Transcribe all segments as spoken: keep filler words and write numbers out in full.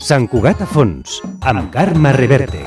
Sant Cugat a fons, amb Carme Reverte.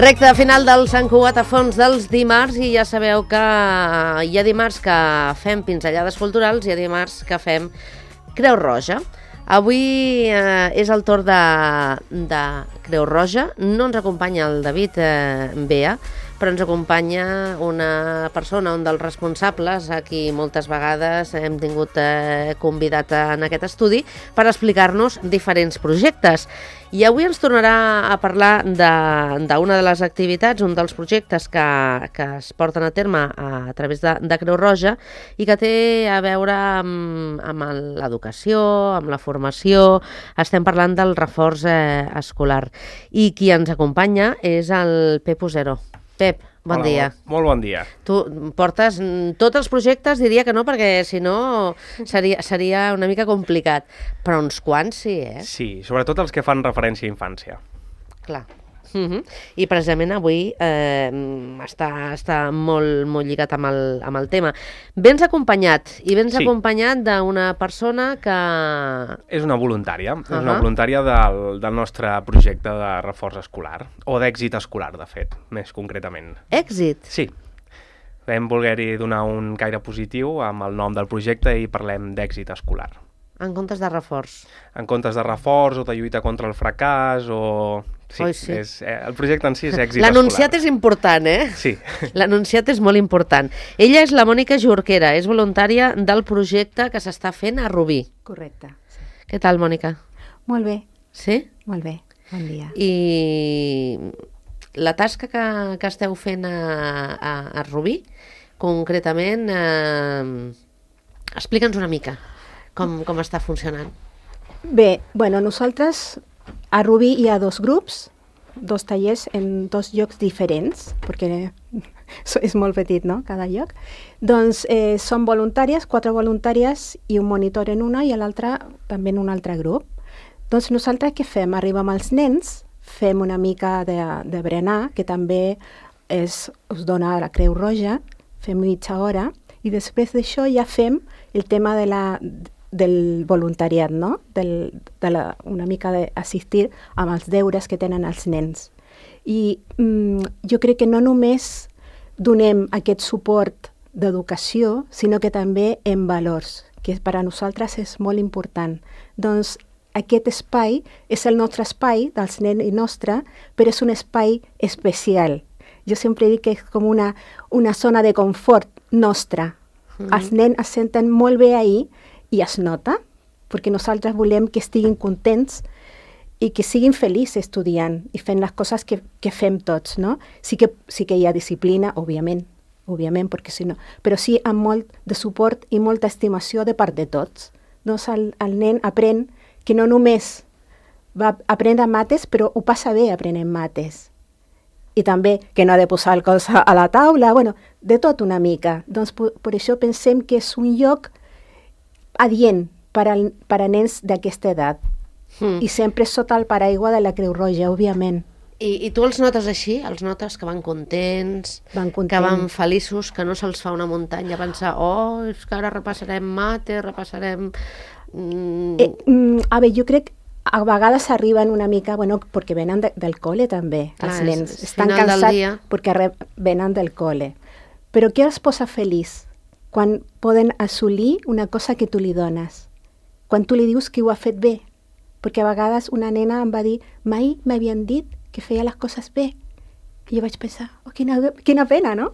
Recte final del Sant Cugat a fons dels dimarts i ja sabeu que hi ha dimarts que fem pinzellades culturals i hi ha dimarts que fem Creu Roja. Avui eh, és el torn de, de Creu Roja. No ens acompanya el David eh, Bea, però ens acompanya una persona, un dels responsables, a qui moltes vegades hem tingut eh, convidat en aquest estudi per explicar-nos diferents projectes. I avui ens tornarà a parlar d'una de, de les activitats, un dels projectes que, que es porten a terme a, a través de, de Creu Roja i que té a veure amb, amb l'educació, amb la formació. Estem parlant del reforç eh, escolar. I qui ens acompanya és el Pep Usero. Pep, bon Hola, dia. Molt, molt bon dia. Tu portes tots els projectes, diria que no, perquè si no seria, seria una mica complicat, però uns quants sí, eh? Sí, sobretot els que fan referència a infància. Clar. Uh-huh. I precisament avui eh, està, està molt, molt lligat amb el, amb el tema. Vens acompanyat, i vens sí. acompanyat d'una persona que... És una voluntària, uh-huh. és una voluntària del, del nostre projecte de reforç escolar, o d'èxit escolar, de fet, més concretament. Èxit? Sí. Vam voler-hi donar un caire positiu amb el nom del projecte i parlem d'èxit escolar. En comptes de reforç? En comptes de reforç o de lluita contra el fracàs o... Sí, Oi, sí. És, eh, el projecte en si és èxit escolar. L'anunciat és important, eh? Sí. L'anunciat és molt important. Ella és la Mònica Jorquera, és voluntària del projecte que s'està fent a Rubí. Correcte. Sí. Què tal, Mònica? Molt bé. Sí? Molt bé, bon dia. I la tasca que, que esteu fent a, a, a Rubí, concretament, eh, explica'ns una mica com, com està funcionant. Bé, bueno, nosaltres a Rubí hi ha dos grups, dos tallers en dos llocs diferents, perquè és molt petit, no?, cada lloc. Doncs eh, són voluntàries, quatre voluntàries i un monitor en una i l'altre també en un altre grup. Doncs nosaltres què fem? Arribem als nens, fem una mica de, de berenar, que també és, us dona la Creu Roja, fem mitja hora, i després d'això ja fem el tema de la... del voluntariat, no? Del, de la, una mica d'assistir amb els deures que tenen els nens. I mm, jo crec que no només donem aquest suport d'educació, sinó que també en valors, que per a nosaltres és molt important. Doncs aquest espai és el nostre espai dels nens i nostre, però és un espai especial. Jo sempre dic que és com una, una zona de confort nostra. Mm-hmm. Els nens es senten molt bé ahí i es nota, perquè nosaltres volem que estiguin contents i que siguin feliços estudiant i fent les coses que, que fem tots, no? Sí que, sí que hi ha disciplina, òbviament, òbviament, perquè si no, però sí amb molt de suport i molta estimació de part de tots. Doncs el, el nen aprèn que no només va aprendre mates, però ho passa bé aprenent mates. I també que no ha de posar el cos a la taula, bueno, de tot una mica. Doncs per, per això pensem que és un lloc adient per a, per a nens d'aquesta edat. Mm. I sempre sota el paraigua de la Creu Roja, òbviament. I, I tu els notes així? Els notes que van contents, van contents, que van feliços, que no se'ls fa una muntanya pensar, oh, és que ara repassarem mate, repassarem... Mm... Eh, mm, a veure, jo crec a vegades arriben una mica, bueno, perquè venen de, del col·le també, clar, els nens. És, estan cansats perquè re, venen del col·le. Però què els posa feliç? Quan poden assolir una cosa que tu li dones. Quan tu li dius que ho ha fet bé. Perquè a vegades una nena em va dir, mai m'havien dit que feia les coses bé. I jo vaig pensar, oh, quina, quina pena, no?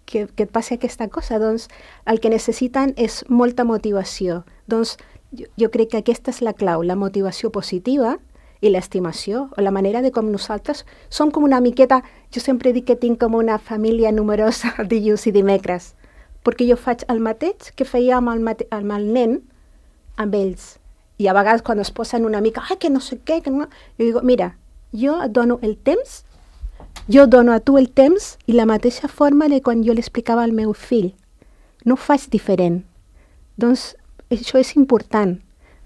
que, que et passi aquesta cosa. Doncs el que necessiten és molta motivació. Doncs jo, jo crec que aquesta és la clau, la motivació positiva i l'estimació, o la manera de com nosaltres som com una miqueta... Jo sempre dic que tinc com una família numerosa dilluns i dimecres, perquè jo faig el mateix que feia amb el, mate amb el nen, amb ells. I a vegades quan es posen una mica, ai, que no sé què, que no... jo dic, mira, jo et dono el temps, jo dono a tu el temps i la mateixa forma de quan jo l'explicava al meu fill. No ho faig diferent. Doncs això és important.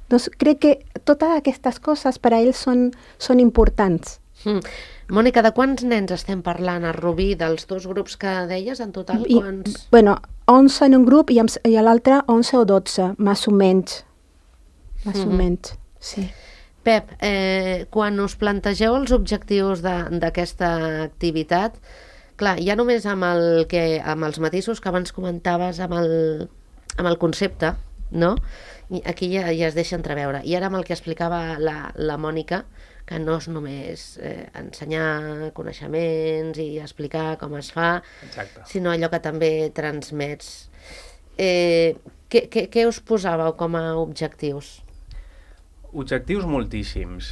Doncs crec que totes aquestes coses per a ells són, són importants. Mm. Mònica, de quants nens estem parlant a Rubí? Dels dos grups que deies, en total? I, quants? Bueno, onze en un grup i, i a l'altre onze o dotze, més o menys. Més mm-hmm. o menys, sí. Pep, eh, quan us plantegeu els objectius d'aquesta activitat, clar, ja només amb, el que, amb els matisos que abans comentaves, amb el, amb el concepte, no? I aquí ja, ja es deixa entreveure. I ara amb el que explicava la, la Mònica, que no és només eh, ensenyar coneixements i explicar com es fa, Exacte. Sinó allò que també transmets. Eh, què, què, què us posàveu com a objectius? Objectius moltíssims.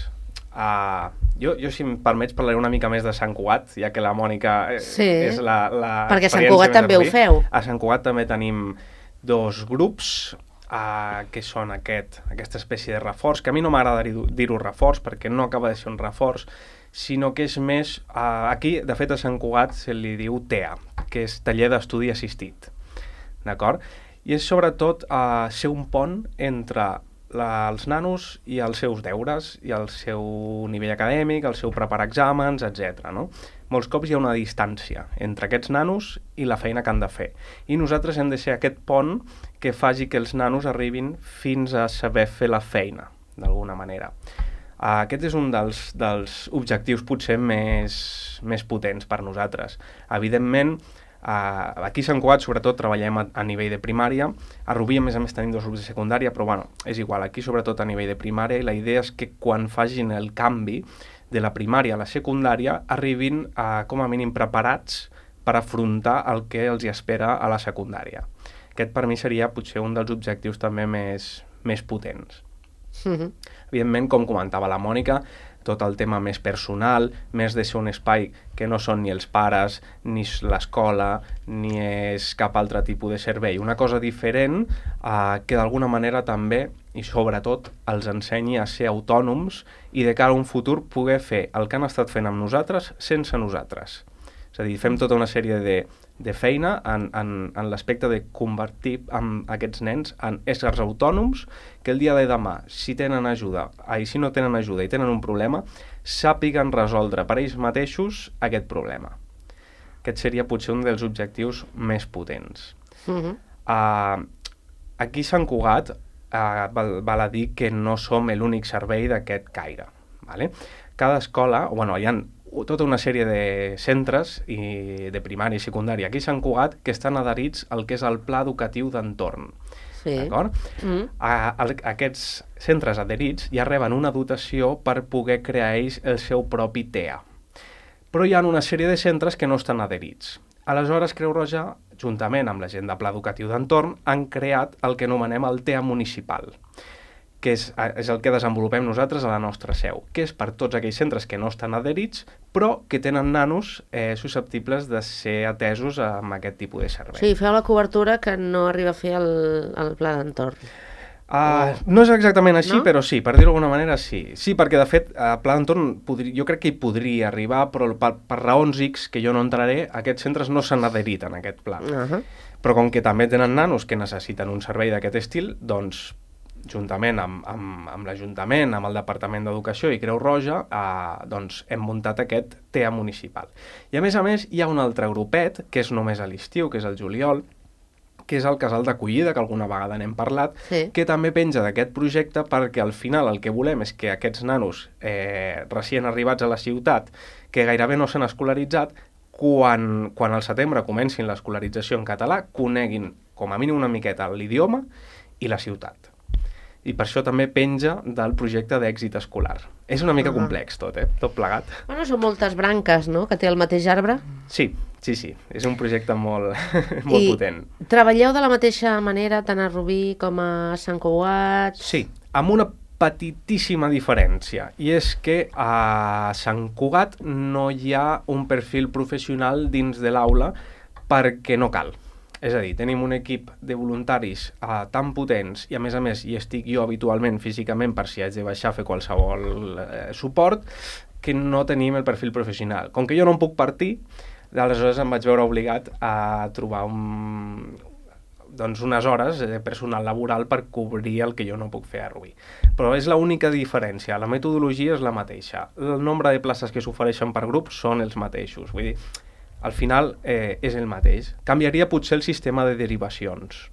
Uh, jo, jo, si em permets, parlaré una mica més de Sant Cugat, ja que la Mònica eh, sí, és la, la perquè a Sant Cugat també ho feu. A Sant Cugat també tenim dos grups, uh, que són aquest, aquesta espècie de reforç, que a mi no m'agrada dir-ho reforç, perquè no acaba de ser un reforç, sinó que és més... Uh, aquí, de fet, a Sant Cugat se li diu T E A, que és Taller d'Estudi Assistit. D'acord? I és sobretot uh, ser un pont entre la, els nanos i els seus deures, i el seu nivell acadèmic, el seu preparar exàmens, etcètera. No? Molts cops hi ha una distància entre aquests nanos i la feina que han de fer. I nosaltres hem de ser aquest pont que faci que els nanos arribin fins a saber fer la feina, d'alguna manera. Uh, aquest és un dels, dels objectius potser més, més potents per nosaltres. Evidentment, Uh, aquí a Sant Cugat sobretot treballem a, a nivell de primària, a Rubí a més a més tenim dos grups de secundària, però bueno, és igual, aquí sobretot a nivell de primària, i la idea és que quan facin el canvi de la primària a la secundària arribin uh, com a mínim preparats per afrontar el que els hi espera a la secundària. Aquest per mi seria potser un dels objectius també més, més potents. Mm-hmm. Evidentment, com comentava la Mònica, tot el tema més personal, més de ser un espai que no són ni els pares, ni l'escola, ni és cap altre tipus de servei. Una cosa diferent eh, que d'alguna manera també, i sobretot, els ensenyi a ser autònoms i de cara a un futur poder fer el que han estat fent amb nosaltres sense nosaltres. És a dir, fem tota una sèrie de, de feina en, en, en l'aspecte de convertir amb aquests nens en éssers autònoms que el dia de demà, si tenen ajuda, ai, si no tenen ajuda i tenen un problema, sàpiguen resoldre per ells mateixos aquest problema. Aquest seria potser un dels objectius més potents. Uh-huh. uh, aquí a Sant Cugat uh, val, val a dir que no som l'únic servei d'aquest caire. Vale? Cada escola, o bueno, hi ha tota una sèrie de centres i de primària i secundària aquí a Sant Cugat que estan adherits al que és el Pla Educatiu d'Entorn. Sí. D'acord? Mm. A, a, aquests centres adherits ja reben una dotació per poder crear ells el seu propi T E A. Però hi ha una sèrie de centres que no estan adherits. Aleshores, Creu Roja, juntament amb la gent de Pla Educatiu d'Entorn, han creat el que anomenem el T E A municipal, que és, és el que desenvolupem nosaltres a la nostra seu, que és per tots aquells centres que no estan adherits, però que tenen nanos eh, susceptibles de ser atesos amb aquest tipus de servei. Sí, feu la cobertura que no arriba a fer el, el pla d'entorn. Uh, no és exactament així, no? Però sí, per dir-ho d'alguna manera sí. Sí, perquè de fet, el pla d'entorn jo crec que hi podria arribar, però per, per raons X, que jo no entraré, aquests centres no s'han adherit en aquest pla. Uh-huh. Però com que també tenen nanos que necessiten un servei d'aquest estil, doncs juntament amb, amb, amb l'Ajuntament, amb el Departament d'Educació i Creu Roja, eh, doncs hem muntat aquest T E A municipal. I a més a més hi ha un altre grupet, que és només a l'estiu, que és el juliol, que és el casal d'acollida, que alguna vegada n'hem parlat, sí. Que també penja d'aquest projecte perquè al final el que volem és que aquests nanos eh, recient arribats a la ciutat, que gairebé no s'han escolaritzat, quan, quan al setembre comencin l'escolarització en català, coneguin com a mínim una miqueta l'idioma i la ciutat. I per això també penja del projecte d'èxit escolar. És una mica Ah. complex tot, eh? Tot plegat. Bueno, són moltes branques, no?, que té el mateix arbre. Sí, sí, sí. És un projecte molt, molt I potent. treballeu de la mateixa manera tant a Rubí com a Sant Cugat? Sí, amb una petitíssima diferència, i és que a Sant Cugat no hi ha un perfil professional dins de l'aula perquè no cal. És a dir, tenim un equip de voluntaris uh, tan potents i a més a més hi estic jo habitualment físicament per si haig de baixar a fer qualsevol uh, suport, que no tenim el perfil professional. Com que jo no em puc partir, aleshores em vaig veure obligat a trobar un, doncs unes hores de personal laboral per cobrir el que jo no puc fer a Rubí. Però és l'única diferència, la metodologia és la mateixa. El nombre de places que s'ofereixen per grup són els mateixos, vull dir, al final eh, és el mateix. Canviaria potser el sistema de derivacions.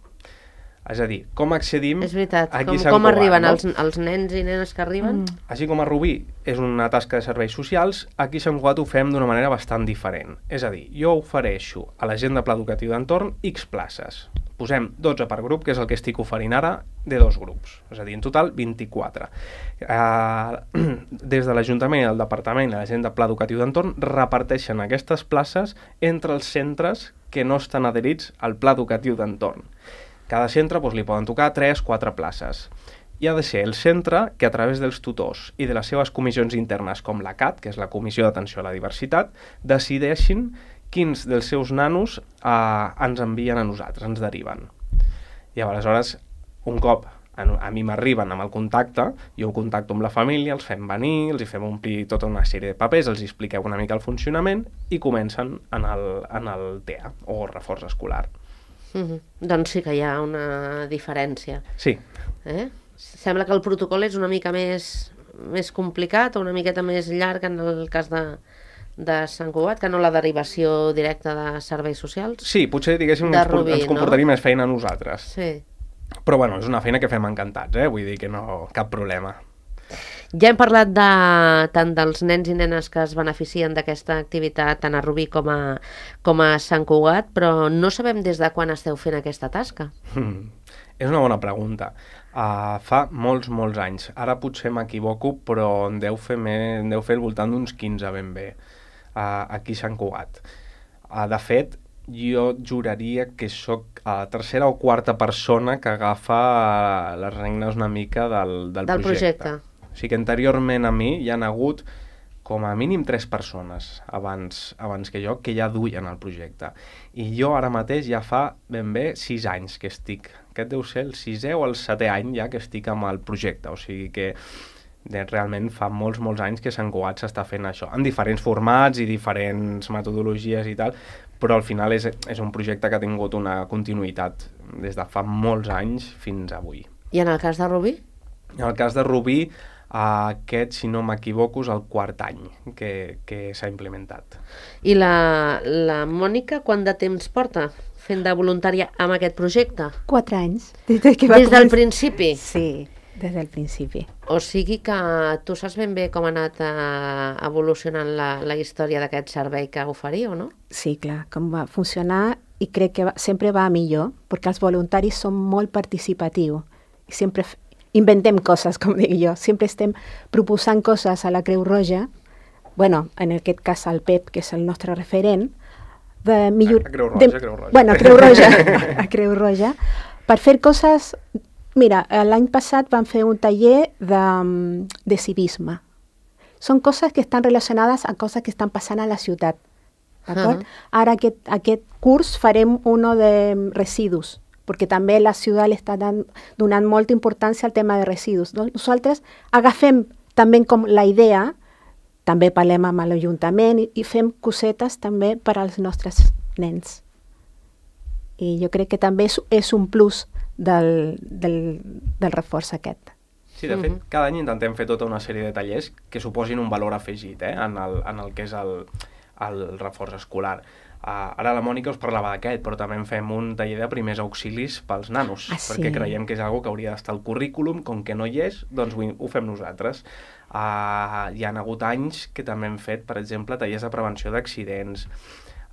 És a dir, com accedim... És veritat, aquí com, a Sant com Cugat, arriben no? els, els nens i nenes que arriben? Mm. Així com a Rubí és una tasca de serveis socials, aquí a Sant Cugat ho fem d'una manera bastant diferent. És a dir, jo ofereixo a la gent de Pla Educatiu d'Entorn X places. Posem dotze per grup, que és el que estic oferint ara, de dos grups. És a dir, en total vint-i-quatre. Uh, des de l'Ajuntament, el Departament i la gent de Pla Educatiu d'Entorn reparteixen aquestes places entre els centres que no estan adherits al Pla Educatiu d'Entorn. Cada centre doncs, li poden tocar tres quatre places. I ha de ser el centre que a través dels tutors i de les seves comissions internes com la C A T, que és la Comissió d'Atenció a la Diversitat, decideixin quins dels seus nanos eh, ens envien a nosaltres, ens deriven. I aleshores, un cop a, a mi m'arriben amb el contacte, jo ho contacto amb la família, els fem venir, els hi fem omplir tota una sèrie de papers, els expliqueu una mica el funcionament i comencen en el, en el T E A, o reforç escolar. Uh-huh. Doncs sí que hi ha una diferència. Sí. Eh? Sembla que el protocol és una mica més, més complicat o una miqueta més llarg en el cas de, de Sant Cugat, que no la derivació directa de serveis socials. Sí, potser diguéssim De ens, Rubí, ens comportaria no? més feina a nosaltres. Sí. Però bueno, és una feina que fem encantats, eh? Vull dir que no, cap problema. Ja hem parlat de, tant dels nens i nenes que es beneficien d'aquesta activitat tant a Rubí com a, com a Sant Cugat, però no sabem des de quan esteu fent aquesta tasca. Mm. És una bona pregunta. Uh, fa molts, molts anys. Ara potser m'equivoco, però en deu fer, més, en deu fer al voltant d'uns quinze ben bé, uh, aquí a Sant Cugat. Uh, de fet, jo juraria que sóc la tercera o quarta persona que agafa uh, les regnes una mica del, del, Del projecte. projecte. O sigui que anteriorment a mi hi han hagut com a mínim tres persones abans, abans que jo que ja duien el projecte. I jo ara mateix ja fa ben bé sis anys que estic. Aquest deu ser el sisè o el setè any ja que estic amb el projecte. O sigui que de, realment fa molts, molts anys que Sant Cugat s'està fent això, en diferents formats i diferents metodologies i tal, però al final és, és un projecte que ha tingut una continuïtat des de fa molts anys fins avui. I en el cas de Rubí? En el cas de Rubí, aquest, si no m'equivoco, és el quart any que, que s'ha implementat. I la, la Mònica, quant de temps porta fent de voluntària amb aquest projecte? Quatre anys. Des, de que va Des del començar. principi? Sí, des del principi. O sigui que tu saps ben bé com ha anat eh, evolucionant la, la història d'aquest servei que oferiu, no? Sí, clar, com va funcionar i crec que va, sempre va millor, perquè els voluntaris són molt participatius i sempre f- inventem coses, com dic jo. Sempre estem proposant coses a la Creu Roja, bueno, en aquest cas al P E P, que és el nostre referent, de millor... A Creu Roja, de, Creu Roja. Bueno, a Creu Roja, a Creu Roja, per fer coses... Mira, l'any passat vam fer un taller de, de civisme. Són coses que estan relacionades a coses que estan passant a la ciutat. D'acord? Uh-huh. Ara aquest, aquest curs farem uno de residus, perquè també la ciutat li està dan, donant molta importància al tema de residus. Doncs nosaltres agafem també com la idea, també parlem amb l'Ajuntament i, i fem cosetes també per als nostres nens. I jo crec que també és, és un plus del, del, del reforç aquest. Sí, de fet, Mhm. cada any intentem fer tota una sèrie de tallers que suposin un valor afegit eh, en, el, en el que és el, el reforç escolar. Uh, ara la Mònica us parlava d'aquest, però també en fem un taller de primers auxilis pels nanos, Ah, sí? perquè creiem que és algo que hauria d'estar al currículum, com que no hi és, doncs ho, ho fem nosaltres. Uh, hi ha hagut anys que també hem fet, per exemple, tallers de prevenció d'accidents,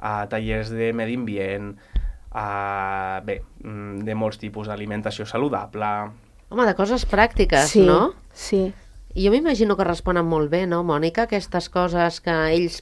uh, tallers de medi ambient, uh, bé, mm, de molts tipus d'alimentació saludable. Home, de coses pràctiques, sí, no? Sí. I jo m'imagino que responen molt bé, no, Mònica? Aquestes coses que ells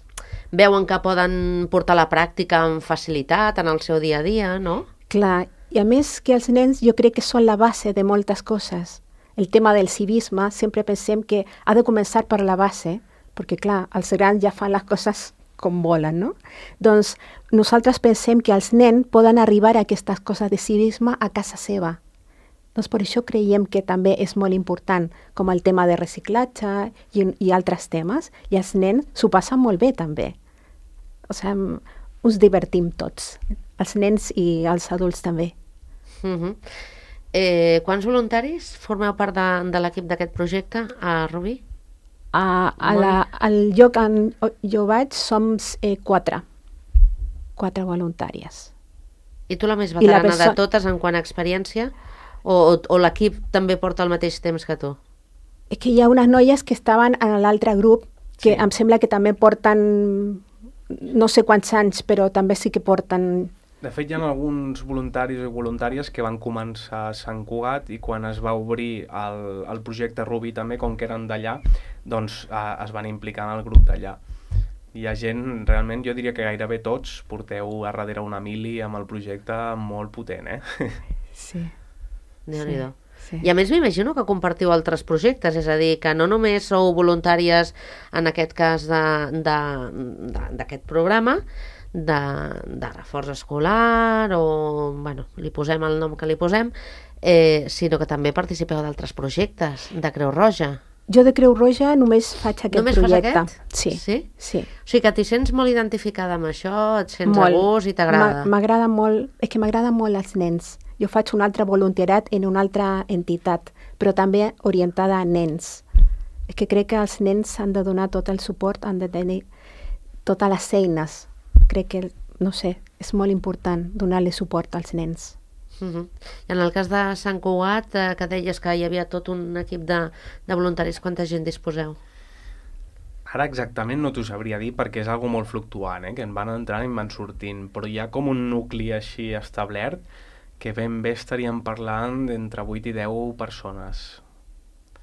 veuen que poden portar a la pràctica amb facilitat en el seu dia a dia, no? Clar, i a més que els nens jo crec que són la base de moltes coses. El tema del civisme, sempre pensem que ha de començar per la base, perquè clar, els grans ja fan les coses com volen, no? Doncs nosaltres pensem que els nens poden arribar a aquestes coses de civisme a casa seva. Doncs per això creiem que també és molt important, com el tema de reciclatge i, i altres temes, i els nens s'ho passen molt bé també. O sigui, us divertim tots, els nens i els adults també. Uh-huh. eh, quants voluntaris formeu part de, de l'equip d'aquest projecte a Rubí? A, a la, al lloc on jo vaig som eh, quatre, quatre voluntàries. I tu la més I la veterana perso- de totes en quant a experiència? O, o, o l'equip també porta el mateix temps que tu? És que hi ha unes noies que estaven en l'altre grup que Sí. em sembla que també porten no sé quants anys, però també sí que porten... De fet, hi ha alguns voluntaris i voluntàries que van començar a Sant Cugat i quan es va obrir el, el projecte Rubí també, com que eren d'allà, doncs eh, es van implicar en el grup d'allà. Hi ha gent, realment, jo diria que gairebé tots porteu a darrere una mili amb el projecte molt potent, eh? Sí. Déu-n'hi-do. Sí. I a més m'imagino que compartiu altres projectes, és a dir, que no només sou voluntàries en aquest cas de- de- de- d'aquest programa, de, de reforç escolar o, bueno, li posem el nom que li posem, eh, sinó que també participeu d'altres projectes de Creu Roja. Jo de Creu Roja només faig aquest Només fas projecte. aquest? Sí. Sí? Sí. O sigui que t'hi sents molt identificada amb això, et sents Molt. a gust i t'agrada. M'a- M'agrada molt, és que m'agrada molt els nens. Jo faig un altre voluntariat en una altra entitat, però també orientada a nens. És que crec que els nens han de donar tot el suport, han de tenir totes les eines. Crec que, no sé, és molt important donar-li suport als nens. Uh-huh. I en el cas de Sant Cugat, eh, que deies que hi havia tot un equip de, de voluntaris, quanta gent disposeu? Ara exactament no t'ho sabria dir perquè és algo molt fluctuant, eh? Que en van entrant i en van sortint, però hi ha com un nucli així establert que ben bé estaríem parlant d'entre vuit i deu persones.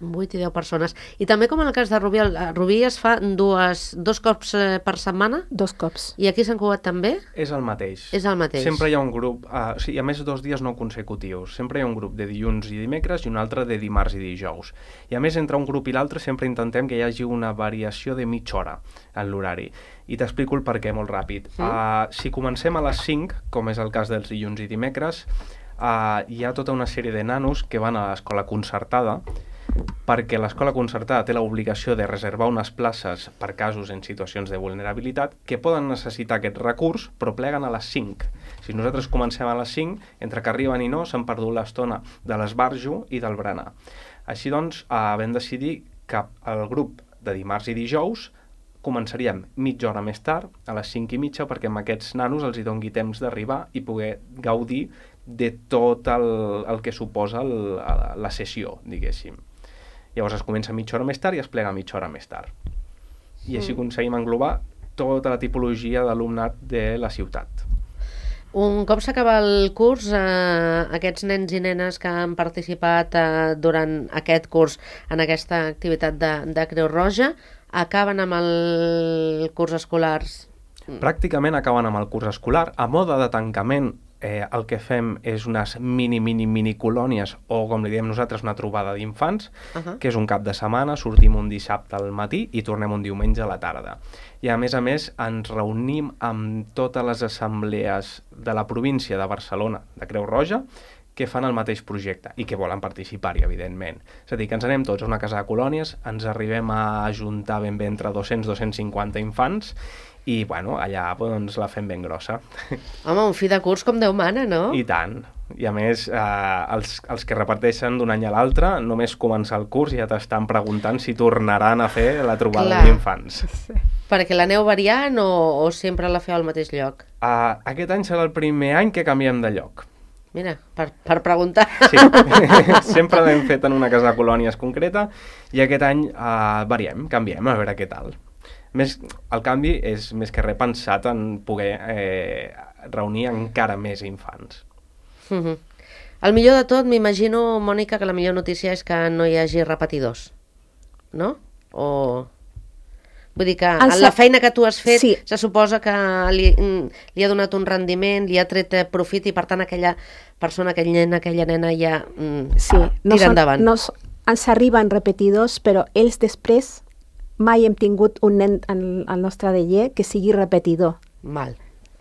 vuit i deu persones. I també com en el cas de Rubí, a Rubí es fa dues, dos cops eh, per setmana? Dos cops. I aquí a Sant Cugat també? És el mateix. És el mateix. Sempre hi ha un grup, uh, o sigui, a més dos dies no consecutius. Sempre hi ha un grup de dilluns i dimecres i un altre de dimarts i dijous. I a més, entre un grup i l'altre sempre intentem que hi hagi una variació de mitja hora en l'horari. I t'explico el perquè molt ràpid. Sí. Uh, si comencem a les cinc, com és el cas dels dilluns i dimecres, uh, hi ha tota una sèrie de nanos que van a l'escola concertada perquè l'escola concertada té l'obligació de reservar unes places per casos en situacions de vulnerabilitat que poden necessitar aquest recurs, però pleguen a les cinc. Si nosaltres comencem a les cinc, entre que arriben i no, s'han perdut l'estona de l'esbarjo i del berenar. Així doncs, eh, vam decidir que el grup de dimarts i dijous començaríem mitja hora més tard, a les cinc i mitja, perquè amb aquests nanos els hi dongui temps d'arribar i poder gaudir de tot el, el que suposa el, la sessió, diguéssim. Llavors es comença mitja hora més tard i es plega mitja hora més tard. I així aconseguim englobar tota la tipologia d'alumnat de la ciutat. Un cop s'acaba el curs, eh, aquests nens i nenes que han participat eh, durant aquest curs en aquesta activitat de, de Creu Roja, acaben amb el curs escolar. Pràcticament acaben amb el curs escolar. A mode de tancament, eh, el que fem és unes mini, mini, mini colònies, o com li diem nosaltres, una trobada d'infants, Uh-huh. que és un cap de setmana, sortim un dissabte al matí i tornem un diumenge a la tarda. I a més a més ens reunim amb totes les assemblees de la província de Barcelona, de Creu Roja, que fan el mateix projecte i que volen participar-hi, evidentment. És a dir, que ens anem tots a una casa de colònies, ens arribem a ajuntar ben bé entre dos-cents a dos-cents cinquanta infants i, bueno, allà doncs, la fem ben grossa. Home, un fi de curs com Déu mana, no? I tant. I a més, eh, els, els que reparteixen d'un any a l'altre, només començar el curs ja t'estan preguntant si tornaran a fer la trobada Clar. d'infants. Perquè l'aneu variant o, o sempre la feu al mateix lloc? Uh, aquest any serà el primer any que canviem de lloc. Mira, per, per preguntar. Sí, sempre l'hem fet en una casa de colònies concreta i aquest any uh, variem, canviem, a veure què tal. Més, el canvi és més que res pensat en poder eh, reunir encara més infants. Uh-huh. El millor de tot, m'imagino, Mònica, que la millor notícia és que no hi hagi repetidors. no? O... Vull dir que El en la sa- feina que tu has fet Sí. se suposa que li, li ha donat un rendiment, li ha tret profit i per tant aquella persona, aquell nen, aquella nena ja mm, Sí, no tira són, endavant. no, s- ens arriben repetidors, però ells després mai hem tingut un nen al, al nostre taller que sigui repetidor. Val.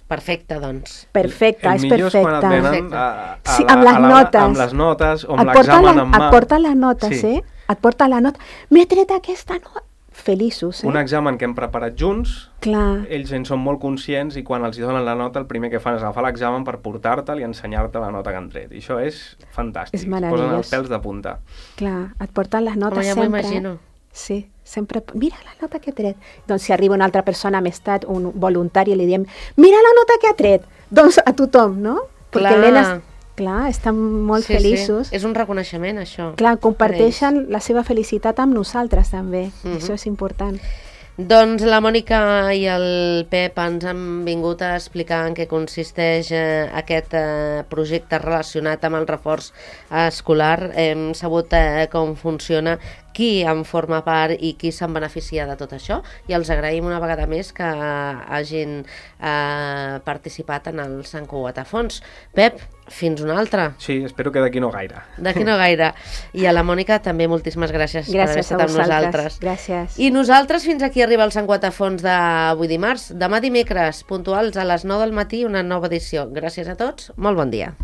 Perfecte, doncs. Perfecte, el és millor és quan perfecte. et venen Perfecte. a, a Sí, la, amb les a la, notes. amb les notes o amb Et porta, l'examen la, en mà. et porta les notes, Sí. eh? Et porta la nota. M'he tret aquesta nota. Feliços, eh? Un examen que hem preparat junts, Clar, ells en són molt conscients i quan els hi donen la nota el primer que fan és agafar l'examen per portar-te'l i ensenyar-te la nota que han tret. I això és fantàstic. És Es posen meravellós. els pèls de punta. clar, et porten les notes Home, ja m'ho sempre. imagino. Sí, sempre, mira la nota que ha tret. Doncs si arriba una altra persona més tard, un voluntari, i li diem, mira la nota que ha tret. Doncs a tothom, no? Clar. Perquè nenes, clar, estan molt Sí, feliços. Sí. És un reconeixement, això. Clar, per comparteixen la seva felicitat amb nosaltres també. Mhm. Això és important. Doncs la Mònica i el Pep ens han vingut a explicar en què consisteix eh, aquest eh, projecte relacionat amb el reforç escolar. Hem sabut eh, com funciona, qui en forma part i qui se'n beneficia de tot això, i els agraïm una vegada més que hagin eh, participat en el Sant Cugat a Fons. Pep, fins una altra. Sí, espero que d'aquí no gaire. D'aquí no gaire. I a la Mònica també moltíssimes gràcies, per haver Gràcies a estat amb vosaltres. nosaltres. Gràcies. I nosaltres fins aquí arriba el Sant Cugat a Fons d'avui dimarts. Demà dimecres, puntuals a les nou del matí, una nova edició. Gràcies a tots, molt bon dia.